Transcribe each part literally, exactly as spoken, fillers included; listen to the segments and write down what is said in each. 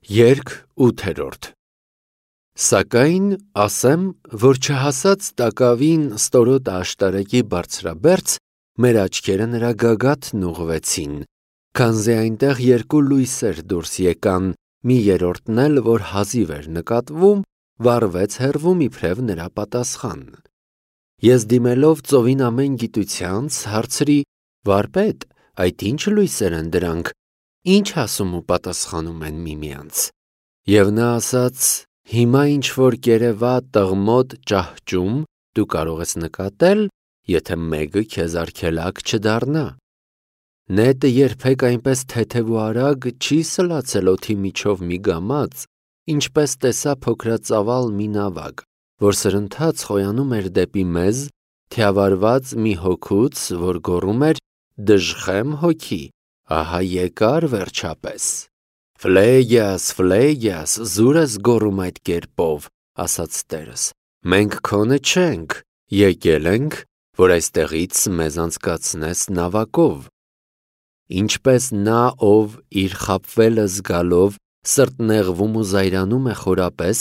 Երգ ութերորդ Սակայն ասեմ, որ չհասած տակավին ստորոտ աշտարակի բարձրաբերձ, մեր աչքերը նրա գագաթն ուղղվեցին, քանզի այնտեղ երկու լույսեր դուրս եկան, մի երրորդն էլ, որ հազիվ էր նկատվում, վառվեց հեռվում իբրև նրա պատասխան։ Ես դիմելով ծովին ամեն գիտությանց, հարցրի. «Վարպետ, այդ ի՞նչ լույսեր են դրանք, ի՞նչ ասում ու պատասխանում են միմյանց»։ Եվ նա ասաց. «Հիմա ինչ-որ կերևա տղմոտ ճահճում դու կարող ես նկատել, եթե մեկը քեզ արգելակ չդառնա։ Նետը երբեք այնպես թեթև ու արագ չի սլացել օդի միջով մի գամած, ինչպես տեսա փոքրածավալ մի նավակ, որ սրընթաց խոյանում էր դեպի մեզ, թիավարված մի հոգուց, որ գոռում էր. «Դժխեմ հոգի, ահա եկար վերջապես»։ «Ֆլեյգիաս, Ֆլեյգիաս, զուր ես գոռում այդ կերպով», ասաց տերս, «մենք քոնը չենք, եկել ենք, որ այստեղից մեզ անցկացնես նավակով»։ Ինչպես նա, ով իր խաբվելը զգալով սրտնեղվում ու զայրանում է խորապես,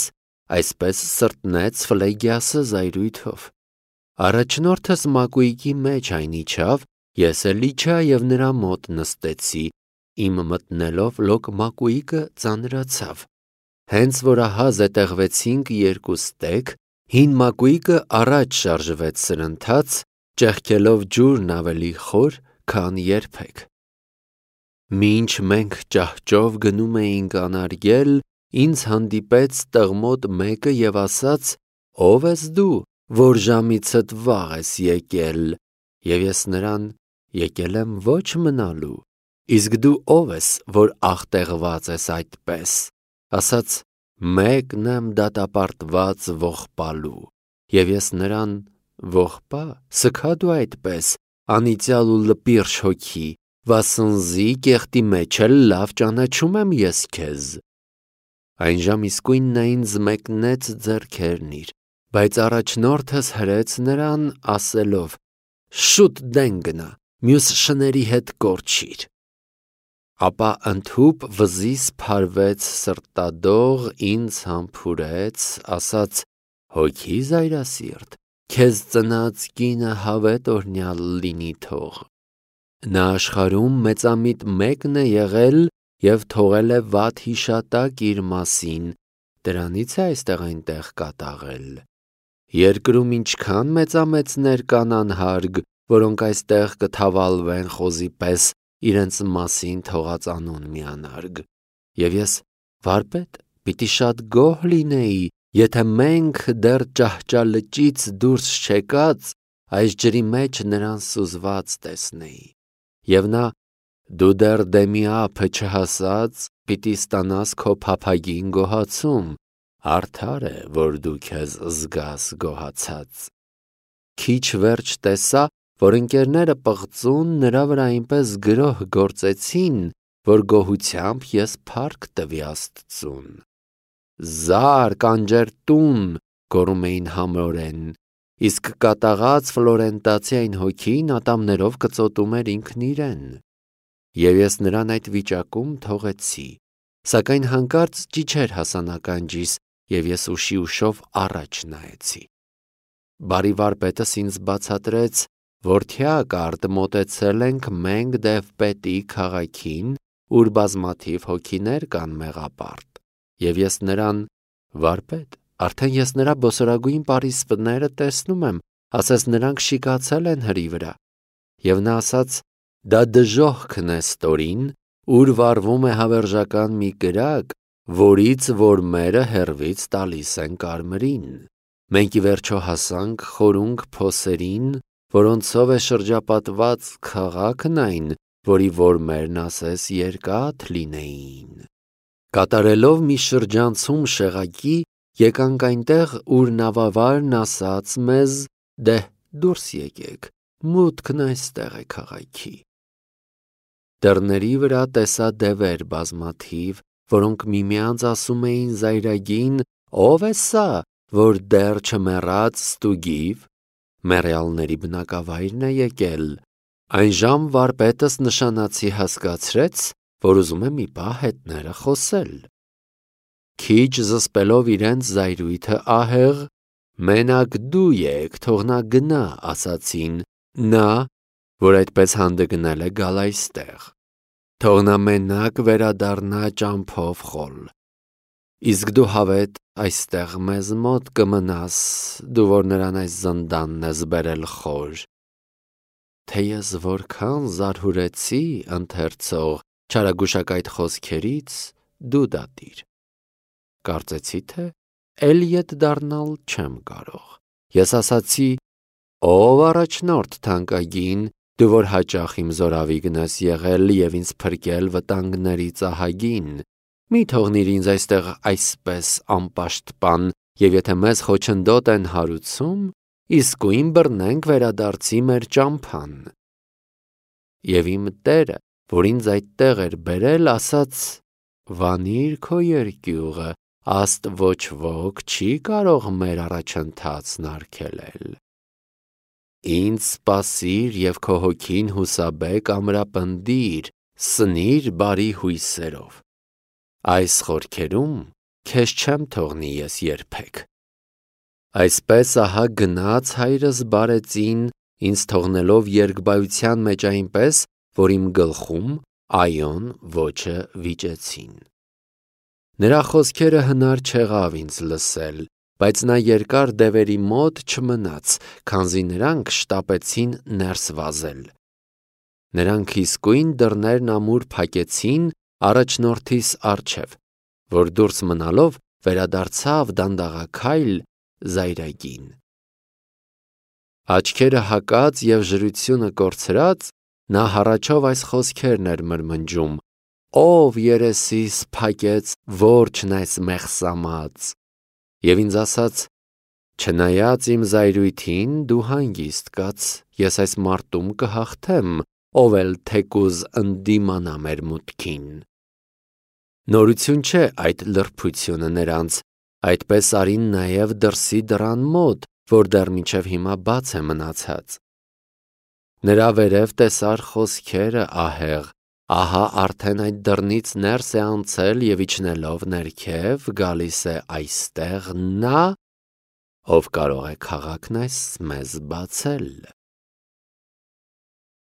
այսպես սրտնեց Ֆլեյգիասը զայրույթով։ Առաջնորդս մակույկի մեջ այն իջավ, ես էլ իջա և նրա մոտ նստեցի, իմ մտնելով լոկ մակույկը ծանրացավ։ Հենց որ ահա զետեղվեցինք երկուստեք, հին մակույկը առաջ շարժվեց սրընթաց, ճեղքելով ջուրն ավելի խոր, քան երբեք։ Մինչ մենք ճահճով գնում էինք անարգել, ինձ հանդիպեց տղմոտ մեկը և ասաց. «Ո՞վ ես դու, որ ժամիցդ վաղ ես եկել»։ Եվ ես նրան. «Եկել եմ ոչ մնալու, իսկ դու ո՞վ ես, որ աղտեղված ես այդպես»։ Ասաց. «Մեկն եմ դատապարտված ողբալու»։ Եվ ես նրան. «Ողբա, սգա դու այդպես, անիծյալ ու լպիրշ հոգի, վասնզի կեղտի մեջ էլ լավ ճանաչում եմ ես քեզ»։ Այնժամ իսկույն նա ինձ մեկնեց ձեռքերն իր, բայց առաջնորդս հրեց նրան, ասելով. «Շուտ դեն գնա, մյուս շների հետ կորչիր»։ Ապա ընդհուպ վզիս փարվեց սրտադող, ինձ համբուրեց, ասաց. «Հոգի զայրասիրտ, քեզ ծնած կինը հավետ օրհնյալ լինի թող։ Նա աշխարհում մեծամիտ մեկն է եղել և թողել է վատ հիշատակ իր մասին, դրանից է այստեղ այնտեղ կատաղել։ Երկրում ինչքան մեծամեծներ կան անհարգ, որոնք այստեղ կթավալվեն խոզի պես իրենց մասին թողած անուն մի անարգ։ Եվ ես, վարպետ, պիտի շատ գոհ լինեի, եթե մենք դեռ ճահճալճից դուրս չեկած, այս ջրի մեջ նրան սուզված տեսնեի։ Եվ նա. «Դու դեռ դեմի ափը չհասած, պիտի ստանաս քո փափագին գոհացում, արդար է, որ դու քեզ զգաս գոհացած»։ Քիչ վերջ տեսա, որ ընկերները պղծուն նրա վրա այնպես գրոհ գործեցին, որ գոհությամբ ես փառք տվի Աստծուն։ «Զար, կանջերտուն», գոռում էին համորեն, իսկ կատաղած ֆլորենտացի այն հոգին ատամներով կծոտում էր ինքն իրեն։ Եվ ես նրան այդ վիճակում թողեցի, սակայն հանկարծ ճիչեր հասա ականջիս, և ես ուշի ուշով առաջ նայեցի։ Բարի վարպետս ինձ բացատրեց, որդյակ արդ մոտեցել ենք մենք Դևպետի քաղաքին, ուր բազմաթիվ հոգիներ կան մեղապարտ։ Եվ ես նրան. «Վարպետ, արդեն ես նրա բոսորագույն պարիսպները տեսնում եմ, ասես նրանք շիկացել են հրի վրա»։ Եվ նա ասաց. «Դա դժոխքն է ստորին, ուր վառվում է հավերժական մի կրակ, որից որ մերը հեռվից տալիս են կարմրին։ Մենք ի վերջո հասանք խորունգ փոսերին, որոնցով է շրջապատված քաղաքն այն, որի որ մերն ասես երկաթ լինեին։ Կատարելով մի շրջանցում շեղակի, եկանք այնտեղ, ուր նավավարն ասաց մեզ. «Դե՛հ, դուրս եկեք, մուտքն այստեղ է քաղաքի»։ Դռների վրա տեսա դևեր բազմաթիվ, որոնք միմյանց ասում էին զայրագին. «Ո՞վ է սա, որ դեռ չմեռած ստուգիվ»։ Մեռյալների բնակավայրն է եկել։ Այնժամ վարպետս նշանացի հասկացրեց, որ ուզում է մի պահ հետները խոսել։ Քիչ զսպելով իրենց զայրույթը ահեղ, մենակ դու եք, թող նա գնա, ասացին, նա, որ այդպես հանդգնել է, գալ այստեղ, թող նա մենակ վերադառնա ճամփով խոլ, իսկ դու հավետ այստեղ մեզ մոտ կմնաս, դու որ նրան այս զնդանն ես բերել խոր, թե ես որքան զարհուրեցի, ընթերցող, չարագուշակայդ խոսքերից, դու դատիր, կարծեցի թե էլ ետ դառնալ չեմ կարող, ես ասացի, ով առաջնորդ թանկագին, դու որ հաճախ իմ զորավիգն ես եղել և ինձ փրկել վտանգներից ահագին, մի թողնիր ինձ այստեղ այսպես անպաշտպան, և եթե մեզ խոչընդոտ են հարուցում, իսկույն բռնենք վերադարձի մեր ճամփան։ Եվ իմ տերը, որ ինձ այդտեղ էր բերել, ասաց. «Վանիր քո երկյուղը, աստ ոչ ոք չի կարող մեր առաջընթացն արգելել։ Ինձ սպասիր և քո հոգին հուսաբեկ ամրապնդիր, սնիր բարի հույսերով։ Այս խորքերում քեզ չեմ թողնի ես երբեք»։ Այսպես ահա գնաց հայրս բարեցին, ինձ թողնելով երկբայության մեջ այնպես, որ իմ գլխում այոն ոճը վիճեցին։ Նրա խոսքերը հնար չեղավ ինձ լսել, բայց նա երկար դևերի մոտ չմնաց, քանզի նրանք շտապեցին ներս վազել։ Նրանք իսկույն դռներն ամուր փակեցին առաջնորդիս առջև, որ դուրս մնալով վերադարձավ դանդաղաքայլ զայրագին։ Աչքերը հակած և ժրությունը կորցրած, նա հառաչով այս խոսքերն էր մրմնջում. «Ով երեսիս փակեց որջն այս մեղսամած»։ Եվ ինձ ասաց. «Չնայած իմ զայրույթին, դու հանգիստ կաց, ես այս մարտում կհաղթեմ, ով էլ թեկուզ ընդդիմանա մեր մուտքին»։ Նորություն չէ այդ լրբությունը նրանց, այդպես արին նաև դրսի դռան մոտ, որ դեռ մինչև հիմա բաց է մնացած։ Նրա վերև տեսար խոսքերը ահեղ, ահա արդեն այդ դռնից ներս է անցել և իջնելով ներքև գալիս է այստեղ նա, ով կարող է քաղաքն այս մեզ բացել։